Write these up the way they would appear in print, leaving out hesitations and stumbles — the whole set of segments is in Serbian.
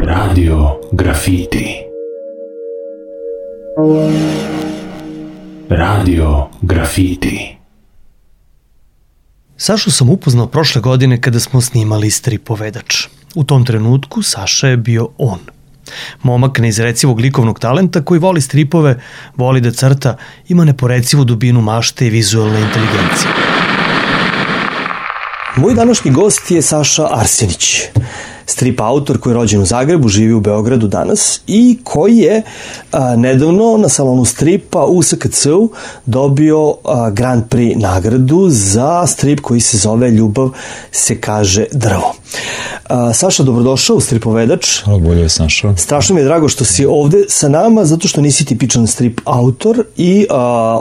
Radio Grafiti. Radio Grafiti. Sašu sam upoznao prošle godine kada smo snimali Stripovedač. U tom trenutku Saša je bio on. Momak neizrecivog likovnog talenta koji voli stripove, voli da crta, ima neporecivu dubinu mašte i vizualne inteligencije. Moj današnji gost je Saša Arsenić, strip autor koji je rođen u Zagrebu, živi u Beogradu danas i koji je nedavno na salonu stripa u SKC-u dobio Grand Prix nagradu za strip koji se zove Ljubav se kaže drvo. Saša, dobrodošao u Stripovedač. Hvala, bolje sam našao. Strašno mi je drago što si ovde sa nama, zato što nisi tipičan strip autor i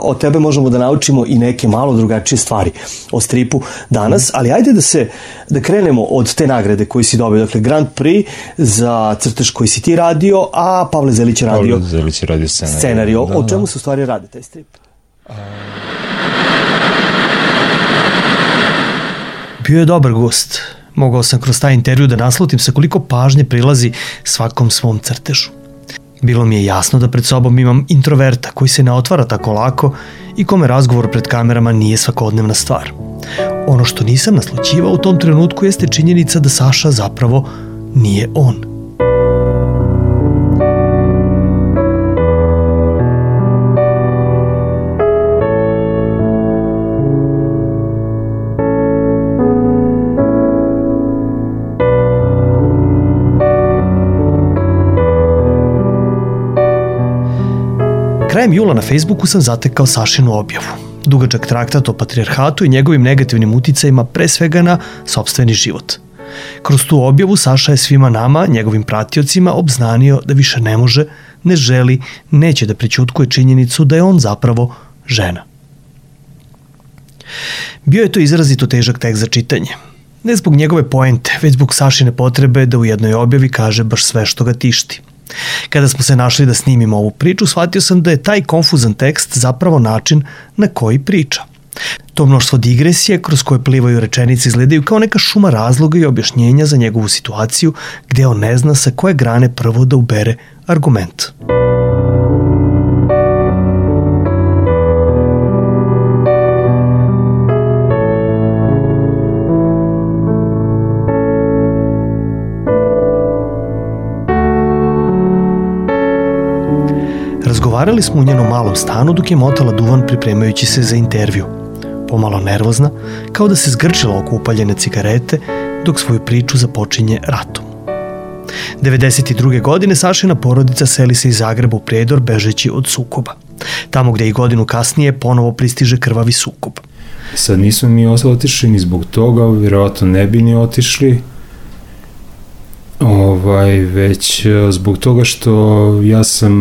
od tebe možemo da naučimo i neke malo drugačije stvari o stripu danas, ali ajde da krenemo od te nagrade koju si dobio. Dakle, Grand Prix za crtež koji si ti radio, a Pavle Zelić je radio scenariju. O čemu se u stvari radi taj strip? Bio je dobar gost. Mogao sam kroz taj intervju da naslutim sa koliko pažnje prilazi svakom svom crtežu. Bilo mi je jasno da pred sobom imam introverta koji se ne otvara tako lako i kome razgovor pred kamerama nije svakodnevna stvar. Ono što nisam naslućivao u tom trenutku jeste činjenica da Saša zapravo nije on. Krajem jula na Facebooku sam zatekao Sašinu objavu. Dugačak traktat o patrijarhatu i njegovim negativnim uticajima pre svega na sopstveni život. Kroz tu objavu Saša je svima nama, njegovim pratiocima, obznanio da više ne može, ne želi, neće da prećutkuje činjenicu da je on zapravo žena. Bio je to izrazito težak tekst za čitanje. Ne zbog njegove poente, već zbog Sašine potrebe da u jednoj objavi kaže baš sve što ga tišti. Kada smo se našli da snimimo ovu priču, shvatio sam da je taj konfuzan tekst zapravo način na koji priča. To mnoštvo digresije kroz koje plivaju rečenice izgledaju kao neka šuma razloga i objašnjenja za njegovu situaciju gde on ne zna sa koje grane prvo da ubere argument. Razgovarali smo u njenom malom stanu dok je motala duvan pripremajući se za intervju. Pomalo nervozna, kao da se zgrčila oko upaljene cigarete dok svoju priču započinje ratom. 92. godine Sašina porodica seli se iz Zagreba u Prijedor bežeći od sukoba. Tamo gde i godinu kasnije ponovo pristiže krvavi sukob. Sad nismo mi otišli ni zbog toga, vjerovatno ne bi ni otišli. Već zbog toga što ja sam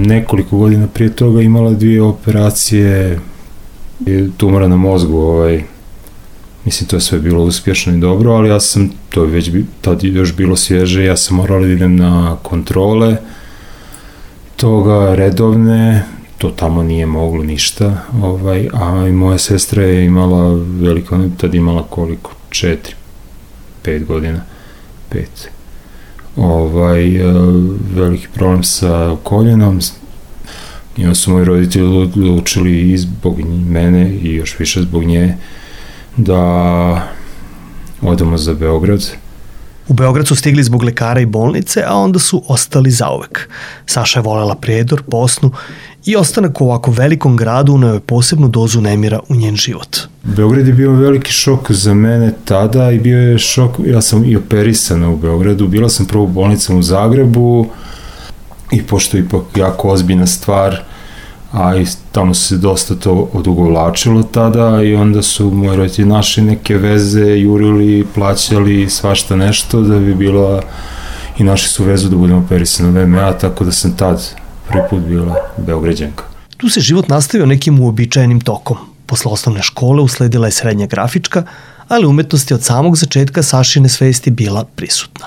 nekoliko godina prije toga imala 2 operacije tumora na mozgu, mislim to je sve bilo uspješno i dobro, ali ja sam, to je već tad još bilo svježe, ja sam morala da idem na kontrole toga redovne, to tamo nije moglo ništa, a i moja sestra je imala veliko, tad imala koliko, 4-5 godina, 5. Veliki problem sa koljenom i onda su moji roditelji odlučili i zbog mene i još više zbog nje da odemo za Beograd. U Beograd su stigli zbog lekara i bolnice, a onda su ostali zauvek. Saša je volela Prijedor, Bosnu i ostanak u ovako velikom gradu uneo je posebnu dozu nemira u njen život. Beograd je bio veliki šok za mene tada i bio je šok, ja sam i operisana u Beogradu, bila sam prvo u bolnicama u Zagrebu i pošto je ipak jako ozbiljna stvar, a i tamo se dosta to odugovlačilo tada i onda su moji roditelji našli neke veze, jurili, plaćali svašta nešto da bi bila i našli su vezu da budemo operisani u VMA, tako da sam tad prvi put bila Beograđanka. Tu se život nastavio nekim uobičajenim tokom. Posle osnovne škole usledila je srednja grafička, ali umetnost je od samog začetka Sašine svesti bila prisutna.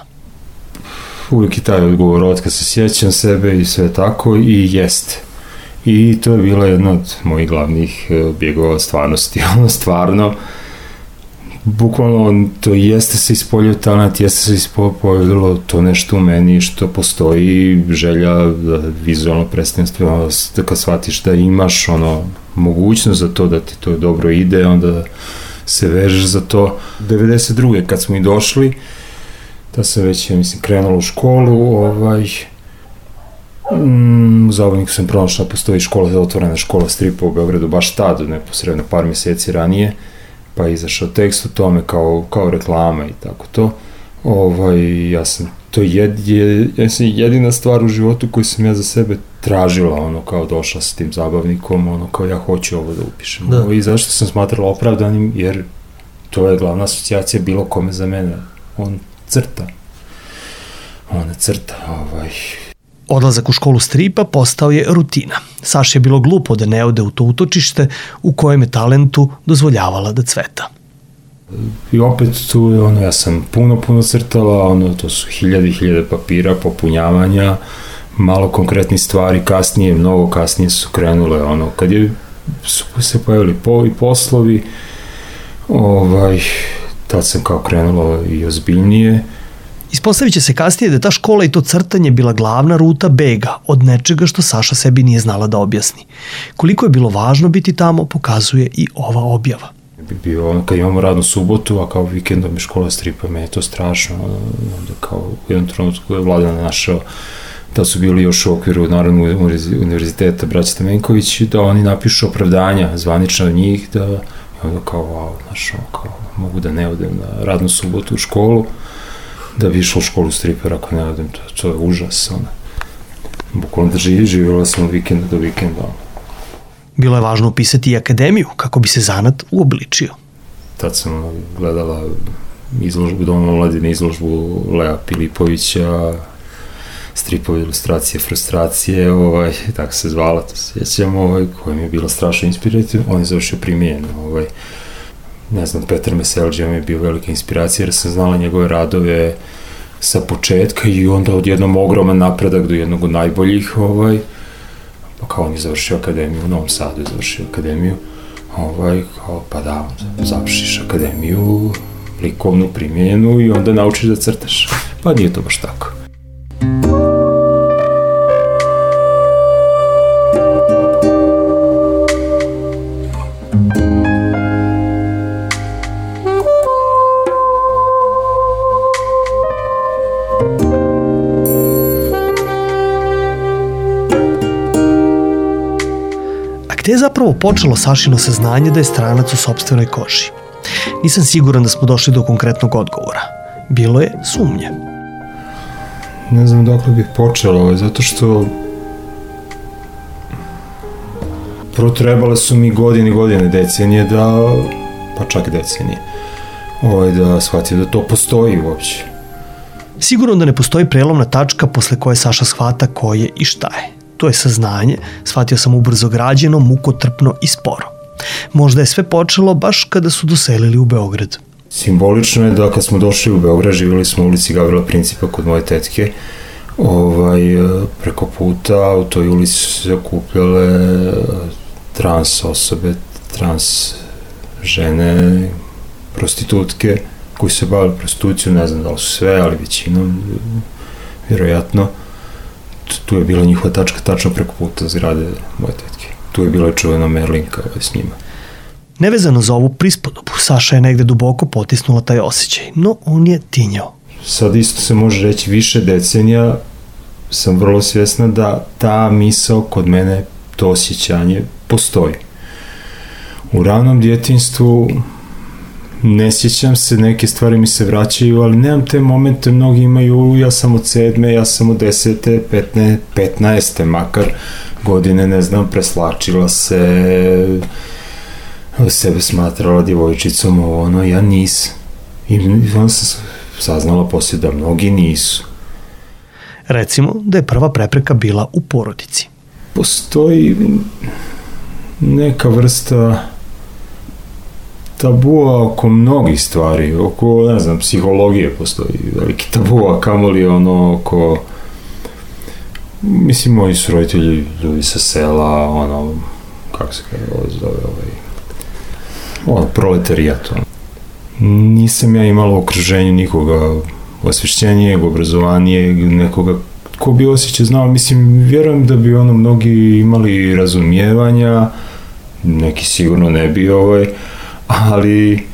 Uvijek je taj odgovor od kad se sjećam sebe i sve tako i jeste. I to je bila jedna od mojih glavnih bjegova stvarnosti. Stvarno, bukvalno to jeste se ispoljio talent, jeste se ispoljilo to nešto u meni što postoji, želja da vizualno predstavljeno, da kad shvatiš da imaš mogućnost za to, da ti to dobro ide, onda se vežeš za to. 92. kad smo i došli, da sam već, krenula u školu, u Zabojniku sam pronašla, postoji otvorena škola stripa u Beogradu, baš tad, neposredno par mjeseci ranije, pa je izašao tekst o tome kao reklama i tako to. To je jedina stvar u životu koju sam ja za sebe tražila, kao došla sa tim zabavnikom, kao ja hoću ovo da upišem. I zašto sam smatrala opravdanim, jer to je glavna asocijacija bilo kome za mene. On crta. Odlazak u školu stripa postao je rutina. Saši je bilo glupo da ne ode u to utočište u kojem je talentu dozvoljavala da cveta. I opet tu, ja sam puno crtala, to su hiljade papira, popunjavanja, malo konkretnih stvari, mnogo kasnije su krenule, kad su se pojavili poslovi, tad sam kao krenula i ozbiljnije. Ispostavit će se kasnije da je ta škola i to crtanje bila glavna ruta bega od nečega što Saša sebi nije znala da objasni. Koliko je bilo važno biti tamo, pokazuje i ova objava. Kad imamo radnu subotu, a kao vikendom je škola stripa, me je to strašno. Onda kao u jednom trenutku je Vladan našao da su bili još u okviru Narodnog univerziteta braća Stamenković, da oni napišu opravdanja zvanično od njih, da onda kao, mogu da ne odem na radnu subotu u školu, da bi išla u školu stripera ako ne odem, to je užas. Bukvalno da živjela sam od vikenda do vikenda. Bilo je važno upisati i akademiju kako bi se zanat uobličio. Tad sam gledala izložbu Doma omladine, izložbu Lea Pilipovića, stripovi ilustracije, frustracije, tako se zvala, to se sjećam, koja mi je bila strašno inspirativna. On je završio primijen, ne znam, Petar Meselđija mi je bio velika inspiracija jer sam znala njegove radove sa početka i onda odjednom ogroman napredak do jednog od najboljih, pa kao on je završio akademiju, u Novom Sadu je završio akademiju, pa da, završiš akademiju, likovnu primjenu i onda naučiš da crtaš, pa nije to baš tako. Gde je zapravo počelo Sašino saznanje da je stranac u sopstvenoj koži? Nisam siguran da smo došli do konkretnog odgovora. Bilo je sumnje. Ne znam dokle bih počelo, zato što prvo trebale su mi godine, decenije pa čak decenije, da shvatim da to postoji uopće. Sigurno da ne postoji prelomna tačka posle koje Saša shvata ko je i šta je. To je saznanje, shvatio sam ubrzo građeno, mukotrpno i sporo. Možda je sve počelo baš kada su doselili u Beograd. Simbolično je da kad smo došli u Beograd, živjeli smo u ulici Gavrila Principa kod moje tetke, preko puta u toj ulici su se okupljale trans osobe, trans žene, prostitutke koji se bavili prostitucijom, ne znam da li su sve, ali većinom, vjerojatno. Tu je bila njihova tačka tačno preko puta zgrade moje tetke. Tu je bila čuvena Merlinka s njima. Nevezano za ovu prispodobu, Saša je negde duboko potisnula taj osjećaj, no on je tinjao. Sad isto se može reći više decenija sam vrlo svjesna da ta misao kod mene, to osjećanje postoji. U ranom djetinjstvu ne sjećam se, neke stvari mi se vraćaju, ali nemam te momente, mnogi imaju, ja sam od 7, ja sam od 10, 15, makar godine, ne znam, preslačila se, sebe smatrala djevojčicom, ja nisam. I onda sam saznala poslije da mnogi nisu. Recimo da je prva prepreka bila u porodici. Postoji neka vrsta tabua oko mnogih stvari, oko, ne znam, psihologije postoji veliki tabua, kamoli oko, mislim, moji su roditelji ljudi sa sela, kako se zove, proletarijat, nisam ja imalo u okruženju nikoga osvešćenijeg, obrazovanijeg, nekoga ko bi osjećaj znao. Mislim, vjerujem da bi mnogi imali razumijevanja, neki sigurno ne bi, ali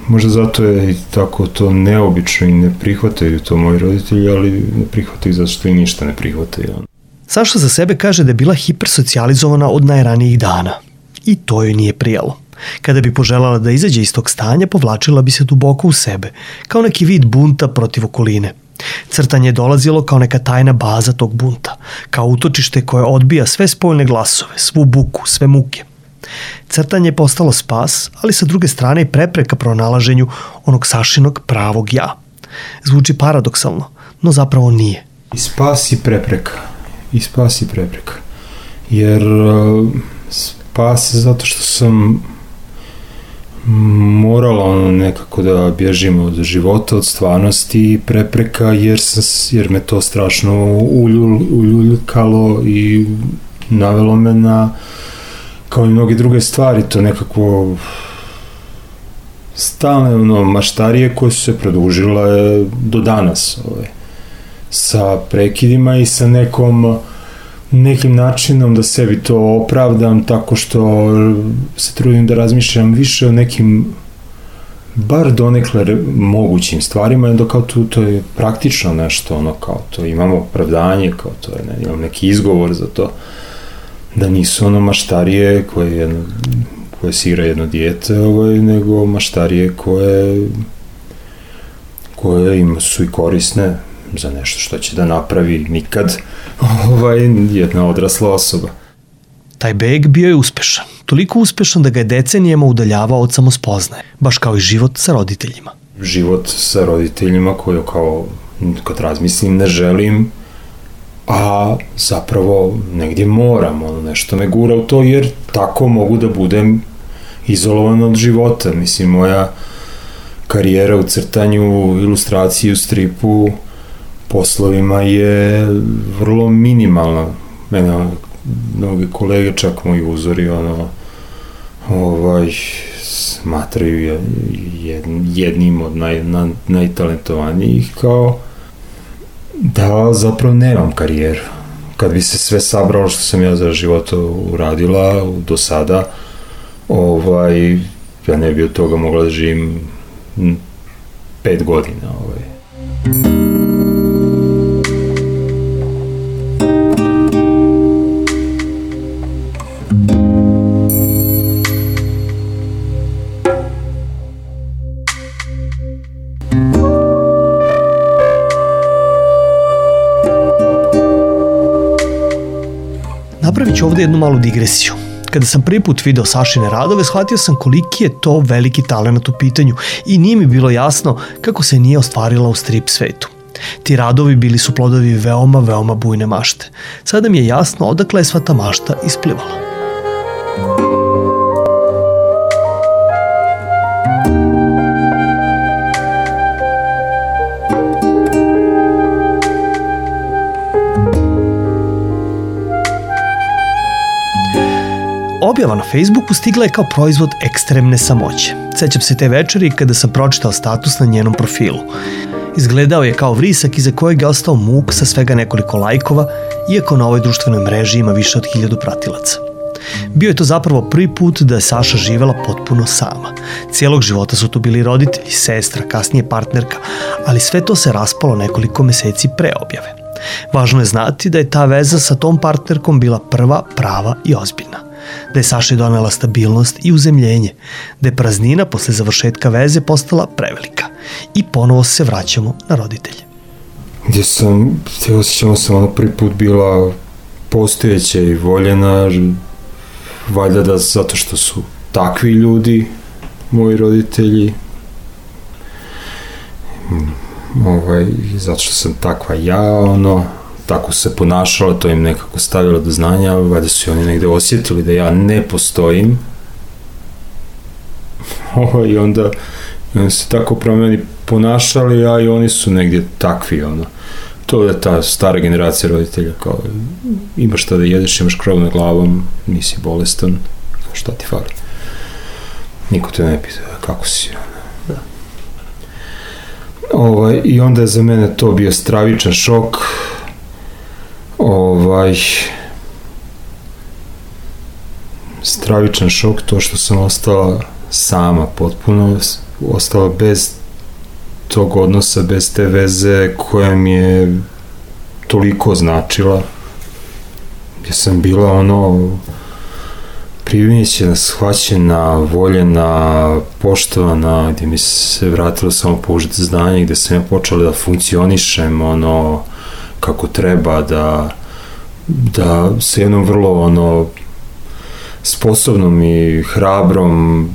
možda zato je tako to neobično i ne prihvataju to moji roditelji, ali ne prihvataju zato što i ništa ne prihvataju. Saša za sebe kaže da je bila hipersocijalizovana od najranijih dana. I to joj nije prijalo. Kada bi poželjela da izađe iz tog stanja, povlačila bi se duboko u sebe, kao neki vid bunta protiv okoline. Crtanje je dolazilo kao neka tajna baza tog bunta, kao utočište koje odbija sve spoljne glasove, svu buku, sve muke. Crtanje je postalo spas, ali sa druge strane i prepreka pronalaženju onog Sašinog pravog ja. Zvuči paradoksalno, no zapravo nije. I spas i prepreka. Jer spas je zato što sam morala nekako da bježim od života, od stvarnosti i prepreka, jer me to strašno uljuljkalo i navelo me na, kao i mnoge druge stvari, to nekako stalne maštarije koje su se produžile do danas, sa prekidima i sa nekim načinom da sebi to opravdam tako što se trudim da razmišljam više o nekim bar donekle mogućim stvarima, dok kao to je praktično nešto, kao to imamo opravdanje, kao to je, imam neki izgovor za to, da nisu maštarije koje se igra jedno dijete, nego maštarije koje su i korisne za nešto što će da napravi nikad jedna odrasla osoba. Taj beg bio je uspešan. Toliko uspešan da ga je decenijama udaljavao od samospoznaje, baš kao i život sa roditeljima. Život sa roditeljima koju kao, kad razmislim, ne želim, a zapravo negdje moram, nešto me gura u to, jer tako mogu da budem izolovan od života. Mislim, moja karijera u crtanju, ilustraciji, u stripu, poslovima je vrlo minimalna. Mene mnogi kolege, čak moji uzori, smatraju jednim od najtalentovanijih, kao da zapravo nemam karijeru. Kad bi se sve sabralo što sam ja za život uradila do sada, ja ne bi od toga mogla da živim 5 godina. Napravit ću ovdje jednu malu digresiju. Kada sam prvi put video Sašine radove, shvatio sam koliki je to veliki talenat u pitanju i nije mi bilo jasno kako se nije ostvarila u strip svetu. Ti radovi bili su plodovi veoma, veoma bujne mašte. Sada mi je jasno odakle je sva ta mašta isplivala. Objava na Facebooku stigla je kao proizvod ekstremne samoće. Sećam se te večeri kada sam pročitao status na njenom profilu. Izgledao je kao vrisak iza kojeg je ostao muk sa svega nekoliko lajkova, iako na ovoj društvenoj mreži ima više od 1000 pratilaca. Bio je to zapravo prvi put da je Saša živela potpuno sama. Cijelog života su tu bili roditelji, sestra, kasnije partnerka, ali sve to se raspalo nekoliko meseci pre objave. Važno je znati da je ta veza sa tom partnerkom bila prva, prava i ozbiljna. Da je Saši donela stabilnost i uzemljenje, da je praznina posle završetka veze postala prevelika i ponovo se vraćamo na roditelje. Gdje osjećamo sam prvi put bila postojeća i voljena, valjda da zato što su takvi ljudi, moji roditelji, zato što sam takva ja, tako se ponašala, to im nekako stavilo do znanja, valjda su oni negde osjetili da ja ne postojim. I onda se tako promeni ponašali, a i oni su negdje takvi, To je ta stara generacija roditelja, kao imaš šta da jedeš, imaš krov nad glavom, nisi bolestan, šta ti fali. Niko te ne pita kako si. I onda je za mene to bio stravičan šok. Stravičan šok, to što sam ostala sama, potpuno ostala bez tog odnosa, bez te veze koja mi je toliko značila, gdje sam bila primijećena, shvaćena, voljena, poštovana, gdje mi se vratilo samo použiti znanje, gdje sam ja počela da funkcionišem kako treba, da sa jednom vrlo sposobnom i hrabrom,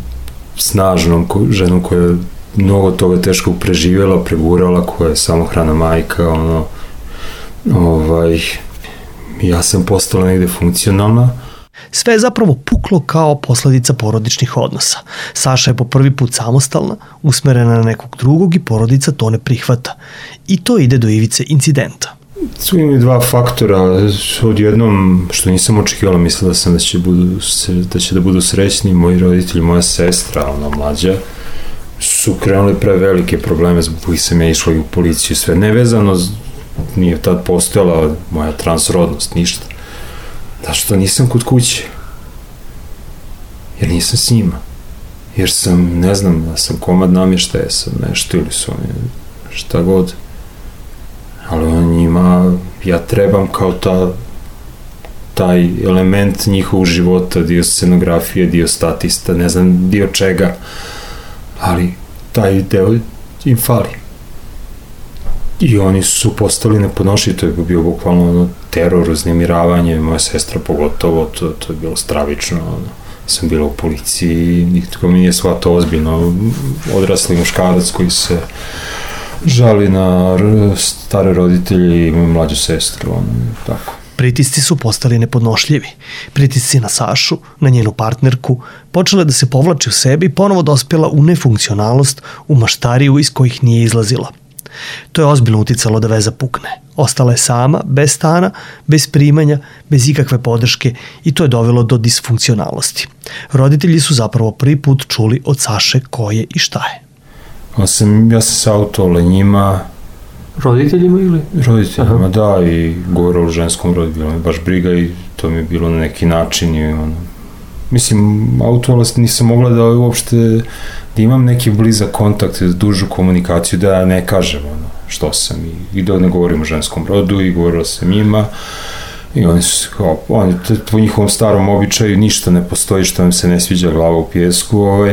snažnom ženom koja je mnogo toga teško preživjela, pregurala, koja je samohrana majka, ja sam postala negde funkcionalna. Sve je zapravo puklo kao posledica porodičnih odnosa. Saša je po prvi put samostalna, usmerena na nekog drugog i porodica to ne prihvata. I to ide do ivice incidenta. Su imali dva faktora. Odjednom, što nisam očekivala, mislila sam da će da budu srećni. Moji roditelji, moja sestra, mlađa, su krenuli pre velike probleme zbog kojih sam ja išla i u policiju. Sve nevezano, nije tad postojala moja transrodnost, ništa. Zašto nisam kod kuće? Jer nisam s njima. Jer sam, ne znam, da sam komad namještaja, sam nešto ili su oni šta god. Ali njima, ja trebam kao taj element njihovog života, dio scenografije, dio statista, ne znam, dio čega. Ali taj deo im fali. I oni su postali nepodnošljivi, to je bio bukvalno teror, uznemiravanje, moja sestra pogotovo, to je bilo stravično. Sam bila u policiji, niko mi nije shvatao ozbiljno, odrasli muškarac koji se žali na stare roditelje i moju mlađu sestru, tako. Pritisci su postali nepodnošljivi. Pritisci na Sašu, na njenu partnerku, počela da se povlači u sebi i ponovo dospjela u nefunkcionalnost, u maštariju iz kojih nije izlazila. To je ozbiljno uticalo da veza pukne. Ostala je sama, bez stana, bez primanja, bez ikakve podrške i to je dovelo do disfunkcionalnosti. Roditelji su zapravo prvi put čuli od Saše ko je i šta je. Ja sam savjetovao njima. Roditeljima ili? Roditeljima, da, i govorila o ženskom rodu, bilo mi baš briga i to mi je bilo na neki način i mislim, autovalast nisam mogla da uopšte, da imam neki blizak kontakt, dužu komunikaciju, da ja ne kažem što sam i da ne govorim o ženskom rodu i govorila sam njima i oni su kao, po njihovom starom običaju ništa ne postoji što vam se ne sviđa, glava u pijesku,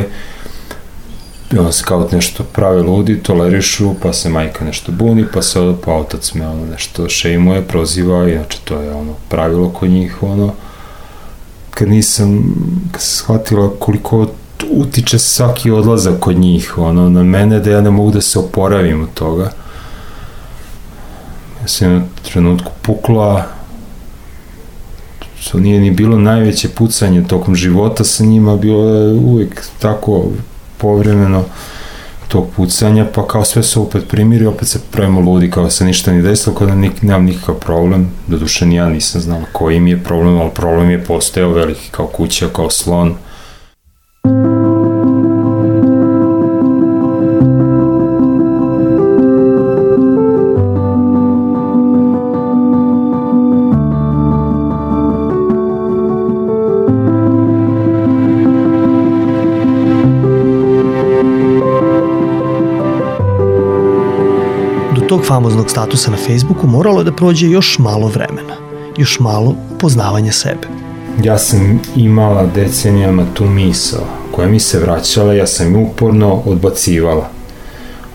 i onda se kao nešto prave ludi, tolerišu, pa se majka nešto buni, pa otac me nešto šejmuje, proziva, inače to je pravilo kod njih, kad sam shvatila koliko utiče svaki odlazak kod njih, na mene, da ja ne mogu da se oporavim od toga. Ja sam na trenutku pukla, to nije ni bilo najveće pucanje tokom života sa njima, bilo je uvijek tako povremeno tog pucanja, pa kao sve se opet primiri, opet se pravimo ludi, kao se ništa ni desilo, kao da nemam nikakav problem, doduše ni ja nisam znala koji mi je problem, ali problem je postojao veliki kao kuća, kao slon. Tog famoznog statusa na Facebooku moralo je da prođe još malo vremena, još malo poznavanja sebe. Ja sam imala decenijama tu misao koja mi se vraćala, ja sam uporno odbacivala.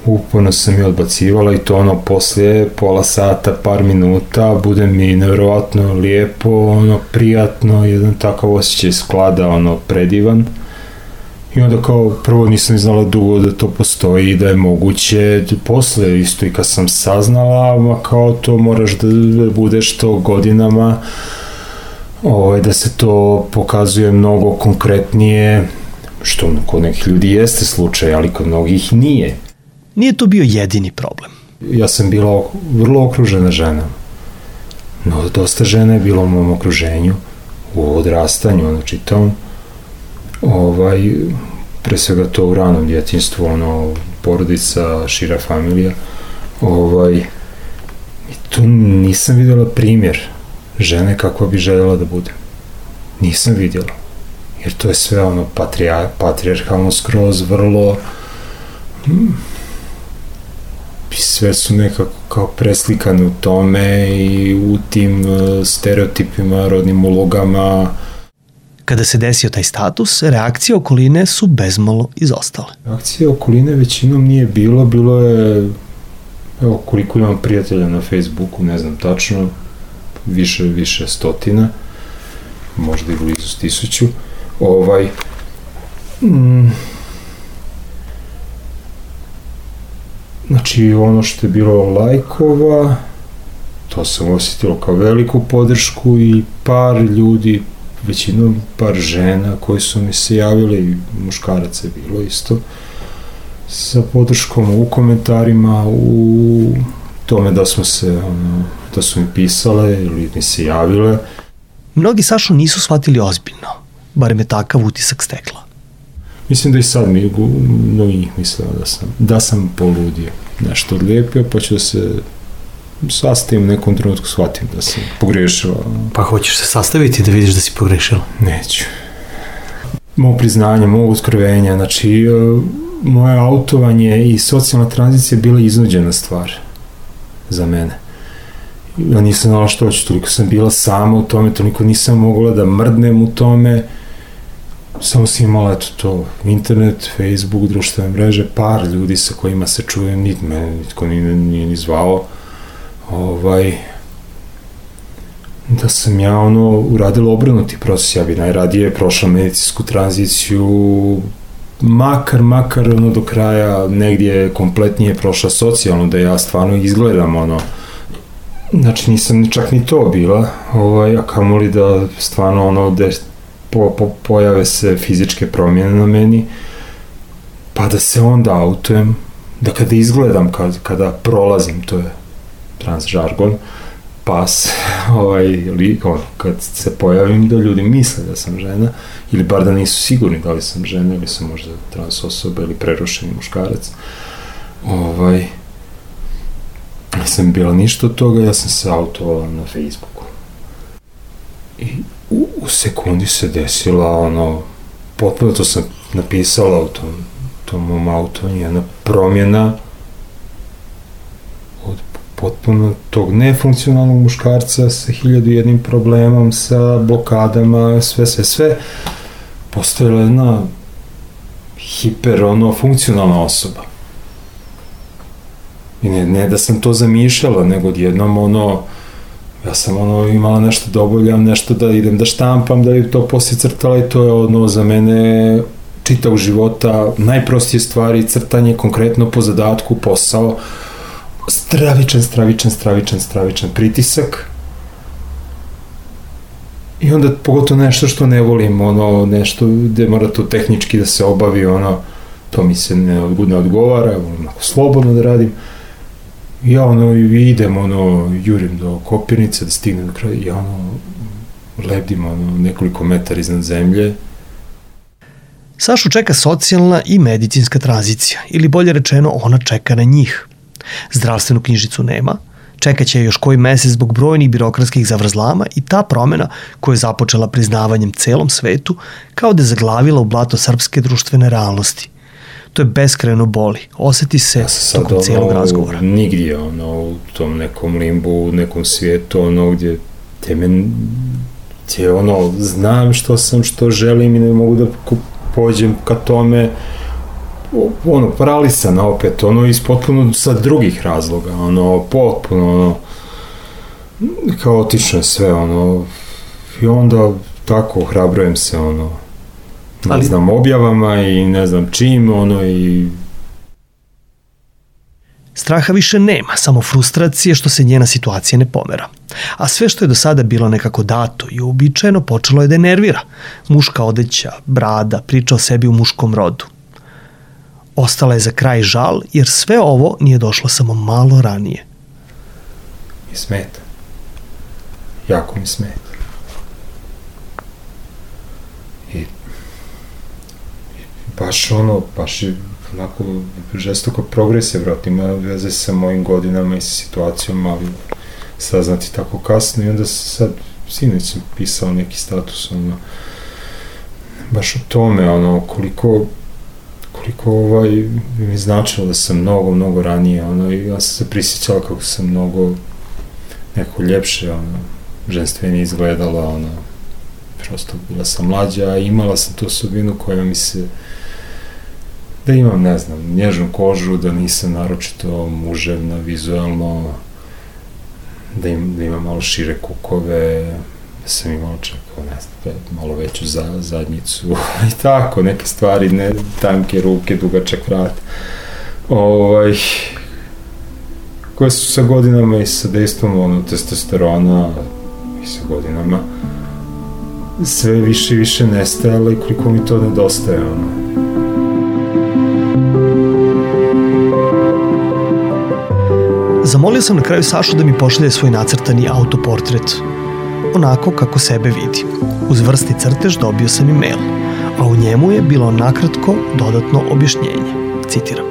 Uporno sam je odbacivala i to poslije pola sata, par minuta, bude mi nevjerovatno lijepo, prijatno, jedan takav osjećaj sklada, predivan. I onda kao prvo nisam znala dugo da to postoji i da je moguće. Posle isto i kad sam saznala, kao to moraš da budeš to godinama, da se to pokazuje mnogo konkretnije, što kod nekih ljudi jeste slučaj, ali kod mnogih nije. Nije to bio jedini problem. Ja sam bila vrlo okružena ženama. No, dosta žena je bilo u mom okruženju, u odrastanju, čitavom. pre svega to u ranom djetinjstvu, ono, porodica, šira familija, i tu nisam vidjela primjer žene kakva bi željela da bude. Nisam vidjela. Jer to je sve ono patrijarhalno skroz, vrlo i sve su nekako kao preslikane u tome i u tim stereotipima, rodnim ulogama. Kada se desio taj status, reakcije okoline su bezmalo izostale. Reakcije okoline većinom nije bilo je, evo koliko imam prijatelja na Facebooku, ne znam tačno, više stotina, možda i blizu 1000. Znači, ono što je bilo lajkova, to sam osjetilo kao veliku podršku i par ljudi, većinom par žena koji su mi se javili, i muškaraca je bilo isto, sa podrškom u komentarima, u tome da su mi pisale ili mi se javile. Mnogi Sašu nisu shvatili ozbiljno, barem je takav utisak stekla. Mislim da i sad mnogi mislila da sam poludio, nešto odlijepio, pa ću da se sastavim u nekom trenutku, shvatim da sam pogrešila. Pa hoćeš se sastaviti da vidiš da si pogrešila? Neću. Moje priznanje, moje otkrivenja, znači moje autovanje i socijalna tranzicija je bila iznuđena stvar za mene. Ja nisam znala što hoću, toliko sam bila sama u tome, toliko nisam mogla da mrdnem u tome. Samo sam imala to, internet, Facebook, društvene mreže, par ljudi sa kojima se čujem, nitko nije ni zvao. Da sam ja uradila obrnuti proces, ja bi najradije prošla medicinsku tranziciju, makar do kraja negdje kompletnije prošla socijalno, da ja stvarno izgledam znači nisam čak ni to bila, a kamoli da stvarno pojave se fizičke promjene na meni, pa da se onda autujem, da kada izgledam, kada prolazim, to je transžargon, pas, kad se pojavim, da ljudi misle da sam žena, ili bar da nisu sigurni da li sam žena, ili sam možda trans osoba, ili prerušeni muškarac. Nisam bila ništa od toga, ja sam se autovala na Facebooku. I u sekundi se desila potpuno, to sam napisala u tom mom autovanju, jedna promjena od potpuno tog nefunkcionalnog muškarca sa 1001 problemom, sa blokadama, sve, postojala jedna funkcionalna osoba. I ne da sam to zamišljala, nego odjednom ja sam imala nešto da obavljam, nešto da idem da štampam, da bi to poslije crtala, i to je za mene čitav života, najprostije stvari, crtanje, konkretno po zadatku, posao, stravičan pritisak. I onda pogotovo nešto što ne volim, nešto gde mora to tehnički da se obavi, to mi se ne odgovara, volim slobodno da radim. Ja idem, jurim do Kopirnice da stignem do kraja, ja lebdim nekoliko metara iznad zemlje. Sašu čeka socijalna i medicinska tranzicija, ili bolje rečeno, ona čeka na njih. Zdravstvenu knjižicu nema, čekaće još koji mesec zbog brojnih birokratskih zavrzlama, i ta promena, koja je započela priznavanjem celom svetu, kao da je zaglavila u blato srpske društvene realnosti. To je beskrajno boli, oseti se tokom cijelog razgovora. Nigdje, u tom nekom limbu, u nekom svijetu, gdje znam što sam, što želim i ne mogu da pođem ka tome, paralisan opet, iz potpuno sa drugih razloga, potpuno, kaotično sve, i onda tako ohrabrujem se, ne znam, objavama i ne znam čim, i... Straha više nema, samo frustracije što se njena situacija ne pomera. A sve što je do sada bilo nekako dato i uobičajeno počelo je da je nervira. Muška odeća, brada, priča o sebi u muškom rodu. Ostala je za kraj žal, jer sve ovo nije došlo samo malo ranije. I smeta. Jako mi smeta. baš je onako žestoko progresija, vrat, ima veze sa mojim godinama i sa situacijom, ali saznati tako kasno i onda sad, sinoć sam pisao neki status, baš o tome, koliko mi značilo da sam mnogo ranije, i ja sam se prisjećala kako sam mnogo neko ljepše, ženstvenije izgledala, prosto bila sam mlađa, a imala sam tu osobinu koja mi se, da imam, ne znam, nježnu kožu, da nisam naročito muževna, vizualno, da imam malo šire kukove, da sam imao čak, ne znam, malo veću zadnjicu i tako, neke stvari, ne, tanke ruke, dugačak vrat, koje su sa godinama i sa dejstvom testosterona i sa godinama sve više i više nestajalo i koliko mi to nedostaje, Zamolio sam na kraju Sašu da mi pošalje svoj nacrtani autoportret, onako kako sebe vidi. Uz vrsni crtež dobio sam e-mail, a u njemu je bilo nakratko dodatno objašnjenje. Citiram.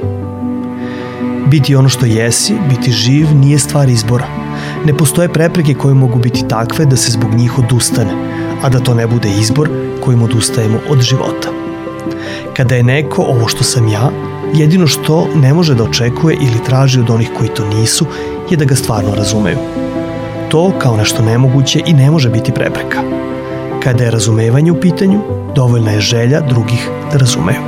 Biti ono što jesi, biti živ, nije stvar izbora. Ne postoje prepreke koje mogu biti takve da se zbog njih odustane, a da to ne bude izbor kojim odustajemo od života. Kada je neko ovo što sam ja, jedino što ne može da očekuje ili traži od onih koji to nisu je da ga stvarno razumeju. To kao nešto nemoguće i ne može biti prepreka. Kada je razumevanje u pitanju, dovoljna je želja drugih da razumeju.